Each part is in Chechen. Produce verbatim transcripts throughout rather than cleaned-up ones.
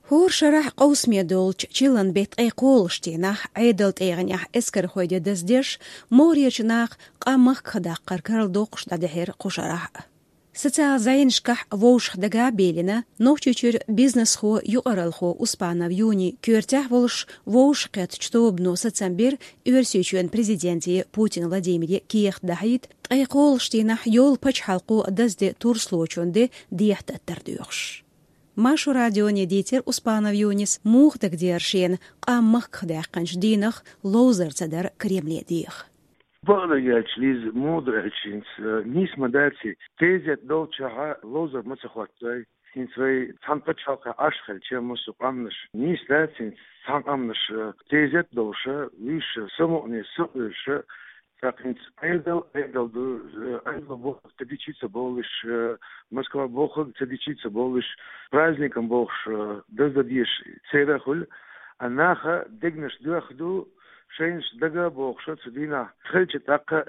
ХӀора шарахь къовсаме долчу чиллан беттан ткъе кхоалгӀачу дийнахь Ӏедалан тӀегӀанехь эскархой де даздеш, могӀарерчу наха къам махках даккхар карладоккхуш дӀадахьира кху шарахь а. Социал зӀенашкахь вовшах дага а беллина, Нохчийчуьра бизнесхо, юкъаралхо Успанов Юни коьртехь волуш вовшахкхеттачу тобано сацам бира Оьрсийчоьнан президенте Путин Владимире кехат дахьийта, ткъе кхоалгӀачу дийнахь йолу пачхьалкхо дазде турслочун де дехьататтар доьхуш. Маршо радионе дийцира Успанов Юнис, муха дагадеара шена къам махках даьккхинчу дийнах ловзар ца дар Кремле деха. Бакъдерг аьлча, Лиза, муха ду аьлча, хӀинца, э, нийса ма дац и, тезет долчохь ловзар ма ца хӀоттадой. ХӀинца вай цхьана пачхьалкхехь Ӏаш хилча, массо а къаьмнаш нийса дац, хӀинца цхьана къаьмнаш, э, тезет долуша, вуьйш самукъане, сакъоьруша, тӀаккха хӀинца Ӏедал, Ӏедал ду, э, Ӏедал бохург ца дичи ца бовлуш, э, Москва бохург ца дичи ца бовлуш, праздникам бохуш, э, даздан дезаш церан хуьлу, а наха дегнаш доьхна ду, шайнаш дага а бохуша цу дийнахь хилча, тӀаккха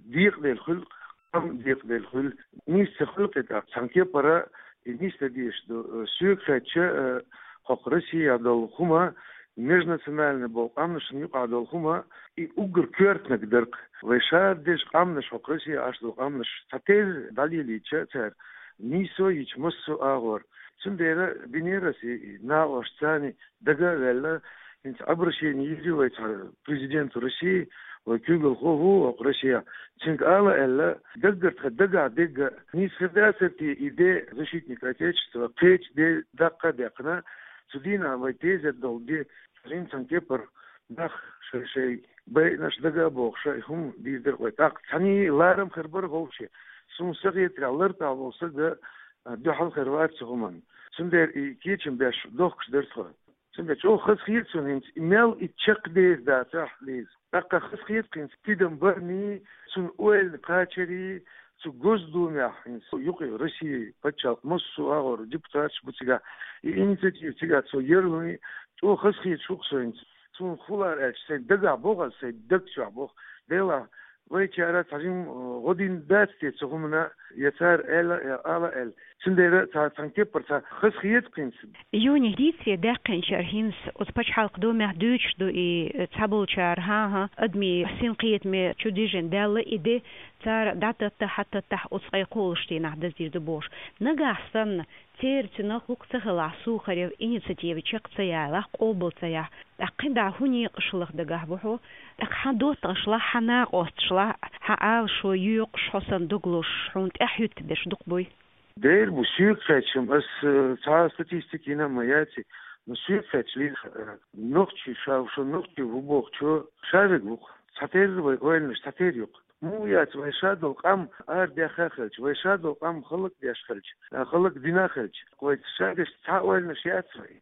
декъаделла хуьлу, къам декъаделла хуьлу. Нийса ца хуьлу кхин тӀаккха, цхьана кепара и нийса дан дезаш ду. Соьга хаьттича, э, хӀокху Россехь долу хӀума, межнациональный болу къаьмнашна юкъахь долу хӀума, и уггар коьртаниг дара-кх. Вай ша деза къаьмнаш, хӀокху Россехь Ӏаш долу къаьмнаш цхьатерра дӀалелийча цара, нийсо а йича массо а агӀор. Цундела бинера аса и накъосташца дага а ваьлла, хӀинца обращение йира вай цхьа президенту России, вай куьйгалхо ву хӀокху Россехь. Цуьнга ала аьлла, даггара тхан дагахь дегга, нийса хир дацара те и де, защитник Отечества, кхечу де даккха а даьккхина, цу дийнахь вай тезет долу де, цхьана кепара нах шай-шай байинарш дага а бохуша, и хӀума дийр дара вай. ТӀаккха цхьаьний ларам хир бара вовшийн. Суна ца хетарехь, лартӀехь волу стаг а дуьхьал хир вац цу хӀуманна. Цундела и кечам беш дохкуш дара тхо. Цундела чӀогӀа хазахета суна хӀинца, и мел и чекхдер дацахь, Лиза. ТӀаккха хазахета хӀинца тидам барний, цунна ойланиг кхачарий, цу Госдумехь хӀинца юкъе Россин пачхьалкхан массо а агӀор депутаташ бу цигахь, и инициатива цигахь цо ярланий, чӀогӀа хазахеташ ву-кх со хӀинца. Суна хӀун лаьара аьлча, сайн дагахь боху аса, сайн даг чохь боху. Делахь, вайчара цхьа жимма, э, гӀо дина дац те цу хӀуманна, я цара аьлла, я ала аьлла. Цундела цхьа, цхьана кепара цхьа хазахета хӀинца. Юни дийцаре даьккхинчара хӀинца оцу пачхьалкхан думехь дуьйцуш ду и, э, цхьаболчара, хӀан-хӀа, адамийн синкхетаме чу дижина даьлла и де, цара дӀататтахь, хьататтахь оцу ткъе кхоалгӀачу дийнахь даздийр ду бохуш. Нагахь санна, церан цуьнах хӀума ца хилахь, Сухарев инициатива чекх ца яьлахь, къобал ца яхь, тӀаккха кхин дӀа хӀун некъаш хиларх дагахь ву хьо? ТӀаккха хьан доттагӀашлахь, хьан накъосташлахь, хьан Ӏалашо йоькъуш, хьо санна дог лозуш, хьуна тӀаьхьа хӀуьттуш дерш дукха буй? Дера бу, соьга хаьттича-м, ас, э, цхьа а статистика йина а ма яций, но соьга хаьттича, Лиза, э, нохчий ша, ша нохчий ву бохучо шараг ву-кх. Цхьатерра вай ойланаш, цхьатерра ю-кх. Муха яц вай ша долу къам арадаьхна а хилча, вай ша долу къам хӀаллакдеш хилча, а, хӀаллакдина а хилча, вай ша деш цхьа ойланаш яц вай.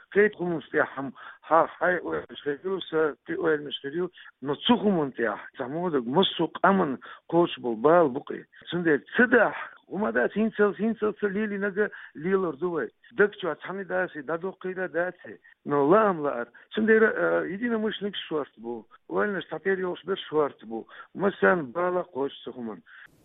Кхечу хӀуманаш тӀехь хьан, хьан хьайн ойланаш хир ю, сан кхин ойланаш хир ю, но цу хӀуманна тӀехь цхьа модага массо а къаманна кхочуш болу бала бу-кх и. Цундела ца дахь, хӀума дац, хӀинцалц, хӀинцалц ца лелийнарг лелор ду вай. Даг чохь цхьаьна дац и, дӀадоккхийла дац и. Но лаам лаар. Цундела, а, единомышленникаш шорта бу, ойланаш цхьатерра йолуш берш шорта бу. Массарна бала кхочуш цу хӀуманна.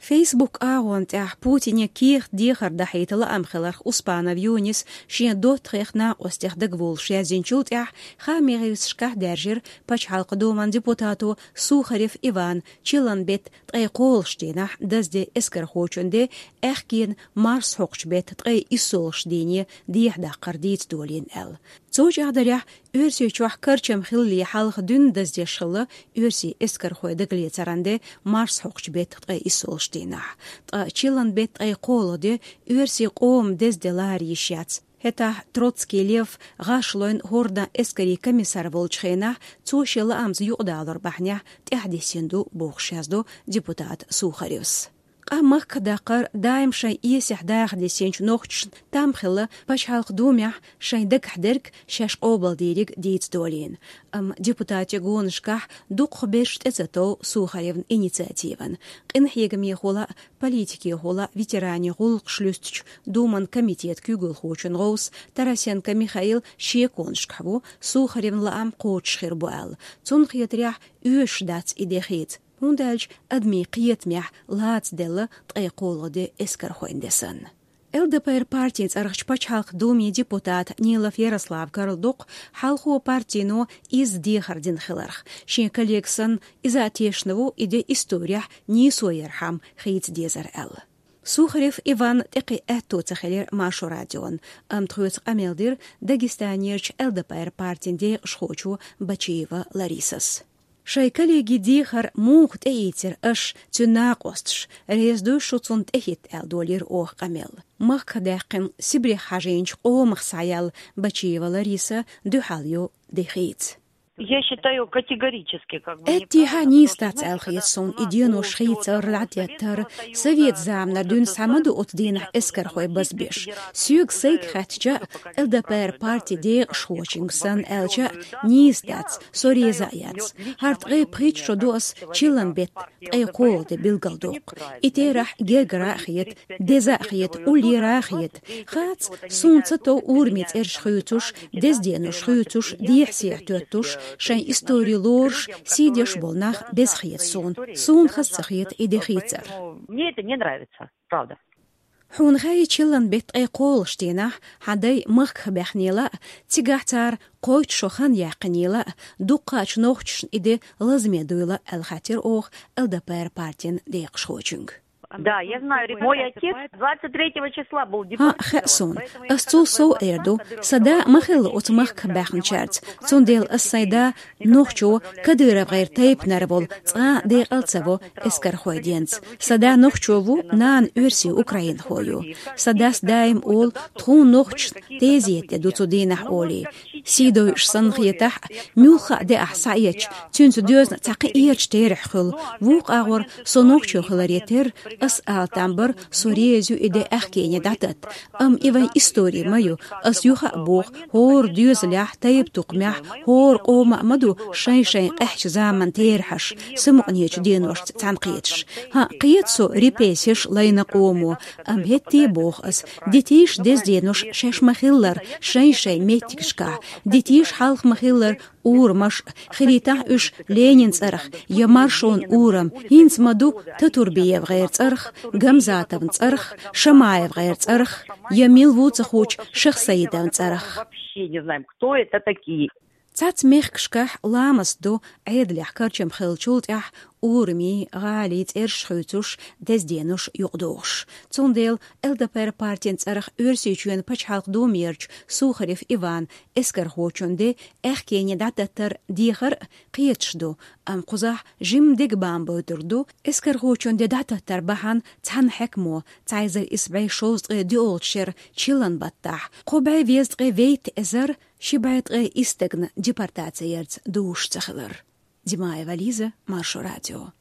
Facebook агӀон тӀехь Путине кехат дехар дахьийта лаам хиларх Успанов Юнис шен доттагӀех, накъостех дагаволуш яздинчул тӀаьхьа хаамийн гӀирсашкахь даьржира Пачхьалкхан Думан депутато Сухарев Иван чиллан беттан ткъе кхоалгӀачу дийнахь дазде эскархочун де аьхкенан марсхьокхучу беттан ткъе иссолгӀачу дийне дехьадаккхар дийца долийна аьлла. Цу чӀагӀдарехь, Оьрсийчохь карчам хиллале хьалха дуьйна даздеш хилла оьрсийн эскархой дагалецаран де марсхьокхучу беттан ткъе иссолгӀачу дийнахь. Ткъа чиллан беттан ткъе кхоалгӀа де оьрсийн къоман деза де лара йиш яц. ХӀетахь Троцкий Лев гӀаш лойн хӀордан эскарийн комиссар волчу хенахь, цо шен лаамца юкъадалор бахьанехь тӀаьхьадисина ду бохуш яздо депутата Сухаревс. Къам махках даккхар даим шайн эсех даха дисинчу нохчашна там хилла Пачхьалкхан Думехь шайн дагахь дерг, шаьш къобалдийриг дийца долийна. Амма депутатийн гонашкахь дукхахберш тӀе ца тов Сухаревн инициативан. Къинхьегамехула а, политикехула а ветеранийн гӀуллакхаш луьстучу Думан комитетан куьйгалхочун гӀовс Тарасенко Михаил шеконашкахь ву, Сухаревн лаам кхочуш хир бу аьлла. Цунна хетарехь, оьшуш дац и де хийца. ХӀунда аьлча адамийн кхетамехь лаца делла ткъе кхоалгӀа де эскархойн де санна. ЛДПР партин цӀерагӀчу пачхьалкхан Думин депутат Нилов Ярослав карладоккху хьалхо партино изза дехар дина хиларх. Шен коллега санна, иза а тешна ву и де исторехь нийсо ярхьама хийца дезар аьлла. Сухарев Иван тӀекхин аьтто ца хилира Маршо радион, амма тхоьца къамел дира Дагестанерчу ЛДПР партин декъашхочо Бачиева Ларисас. Шайн коллеги дехар муха тӀеийцира аша, цуьнан накъосташа, реза дуй шу цунна тӀехӀитта аьлла долийра оха къамел. Махках даьккхина Сибрех хьажийначу къомах схьаяьлла Бачиева Лариса дуьхьал ю де хийца. Я считаю категорически, как бы, Эттехьа неправильно, нийса дац аьлла хета суна и денош хийцар, дӀадеттар. Совет заманара дуьйна схьа ма ду оцу дийнахь эскархой базбеш. Соьга сайга хаьттича, ЛДПР партин декъашхочуьнга санна аьлча, нийса дац, со реза а яц. ХӀара ткъе пхийтта шо ду ас чиллан беттан ткъе кхоалгӀа де билгалдоккху. И терахь гергара а хета, деза а хета, уллера а хета. Хац, суна ца тов урамийн цӀераш хуьйцуш, дезденаш хуьйцуш, дехьа-сехьа тоьттуш, шайн истори лоруш, сий деш болу нах беза хета суна. Суна хаза ца хета и де хийцар. Мне это не нравится, правда. Хьуна хаьий, чиллан беттан ткъе кхоалгӀачу дийнахь хьан дай махках баьхнийла а, цигахь цара кхойтта шо хан яьккхинийла а, дуккхачу нохчашна и де лазаме дуйла аьлла хаьттира оха ЛДПР партин декъашхочуьнга. Да, я знаю, мой отец двадцать третьего числа был депортирован. ХӀаъ, хаьа суна. Ас цул сов эр ду, сан да ма хилла оцу махках баьхначаьрца. Цундела ас сайн да нохчо, КадыровгӀеран тайпанара волу, цкъа а декъал ца во эскархойн денца. Сан да нохчо ву, нана оьрсий украинхо ю. Сан дас даим олу, тхуна нохчашна тезета де ду цу дийнахь олий. Сий дойуш санна хетахь а, муьлхха а де ахь схьаэцча, цуьнца доьзна цхьа кхин эрча терахь хуьлу. Вукху агӀор со нохчо хиларе терра, ас ала там бара, со реза ю и де аьхкене дӀататта. Амма и вайн истори ма ю. Ас юха а боху, хӀора доьзалехь, тайпа-тукхамехь, хӀора къоман а ма ду шайн-шайн къаьхьачу заманан терахьаш, самукъанечу деношца цхьаьнакхеташ. ХӀаъ, кхета со репрессеш лайна къомо, амма хӀетте а боху ас, дитийша дезденаш шаьш ма-хиллара шайн-шайн меттигашкахь, дитийша хьалха ма-хиллара урамаш, хилийтахь уьш Ленинан цӀарах я Маршонан урам, хӀинца ма ду ТатурбиевгӀеран цӀарах, Гамзатовн цӀарах, ШамаевгӀеран цӀарах, я мила ву ца хуучу Шахсаидовн цӀарах. Вообще не знаем, кто это такие. Цхьацца мехкашкахь ламаст ду, Ӏедалехь карчам хиллачул тӀаьхьа урамийн, гӀалин цӀераш хуьйцуш, дезденаш юкъадохуш. Цундела ЛДПР партин цӀарах Оьрсийчоьнан пачхьалкхан Думерчу Сухарев Иван эскархочун де аьхкене дӀататтар дехар а кхеташ ду, амма кхузахь жимма дегабан бойтур ду, эскархочун де дӀататтар бахьана цхьана хьаькамо, цхьа эзар исс бӀе шовзткъе доьалгӀачу шеран чиллан баттахь, кхо бӀе везткъе вейтта эзар ши бӀе ткъе исс стагана депортаци ярца дуьйцуш ца хилар. Димаева Лиза, Маршо радио.